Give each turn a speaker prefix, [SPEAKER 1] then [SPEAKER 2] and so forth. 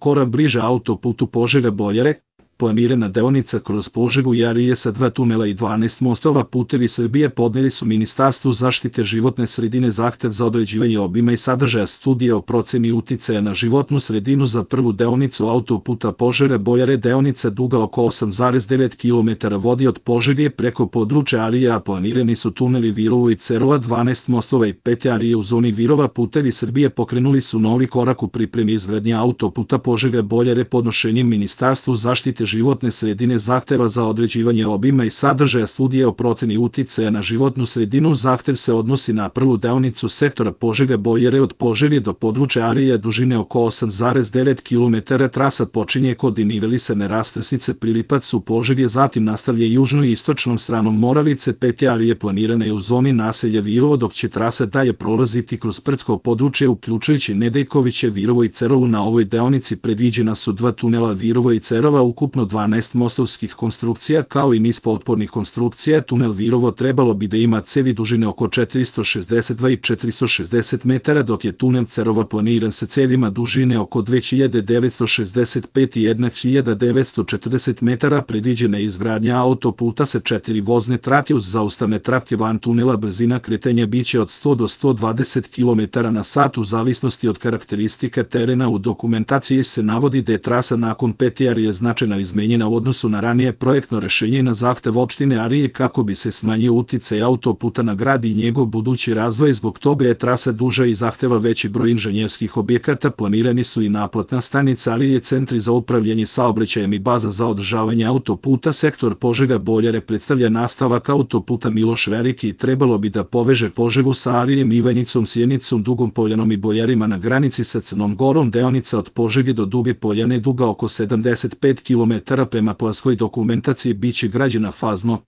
[SPEAKER 1] korak bliže autoputu Požega-Boljare, planirana deonica kroz Požegu i Arilje sa 2 tunela i 12 mostova. Putevi Srbije podneli su Ministarstvu zaštite životne sredine zahtev za određivanje obima i sadržaja studije o proceni uticaja na životnu sredinu za prvu deonicu autoputa Požega-Boljare. Deonica duga oko 8,9 km vodi od Požege preko područja Arilje, a planirani su tuneli Virovo i Cerova, 12 mostova i 5 Arilje u zoni Virova. Putevi Srbije pokrenuli su novi korak u pripremi izgradnje autoputa Požega-Boljare podnošenjem Ministarstvu zaštite životne sredine zahteva za određivanje obima i sadržaja studije o proceni uticaja na životnu sredinu. Zahtev se odnosi na prvu deonicu sektora Požega-Boljare od Požege do područja Arilja dužine oko 8,9 km. Trasa počinje kod nivelisane raskrsnice Prilipac u Požegi, zatim nastavlja južno i istočnom stranom Moravice. 5 Arilje planirana je u zoni naselja Virovo, dok će trasa dalje prolaziti kroz brdsko područje uključujući Nedeljkoviće, Virovo i Cerovu. Na ovoj deonici predviđena su 2 tunela Virovo i Cerova, ukupno 12 mostovskih konstrukcija kao i niz potpornih konstrukcija. Tunel Virovo trebalo bi da ima cevi dužine oko 462 i 460 metara, dok je tunel Cerova planiran sa cevima dužine oko 2965 i 1940 metara. Predviđena je izgradnja autoputa sa 4 vozne trake uz zaustavne trake van tunela. Brzina kretanja biće od 100 do 120 km na sat u zavisnosti od karakteristika terena. U dokumentaciji se navodi da je trasa nakon 5 Arilje značajno izmenjena u odnosu na ranije projektno rešenje na zahtev opštine Arilje kako bi se smanjio uticaj autoputa na grad i njegov budući razvoj. Zbog toga je trasa duža i zahteva veći broj inženjerskih objekata. Planirani su i naplatna stanica Arilje, centri za upravljanje saobraćajem i baza za održavanje autoputa. Sektor Požega-Boljare predstavlja nastavak autoputa Miloš Veliki i trebalo bi da poveže Požegu sa Ariljem, Ivanjicom, Sjenicom, Dugom Poljanom i Boljarima na granici sa Crnom Gorom. Deonica od Požege do Duge Poljane duga oko 75 km. Prema planskoj dokumentaciji biće građena fazno.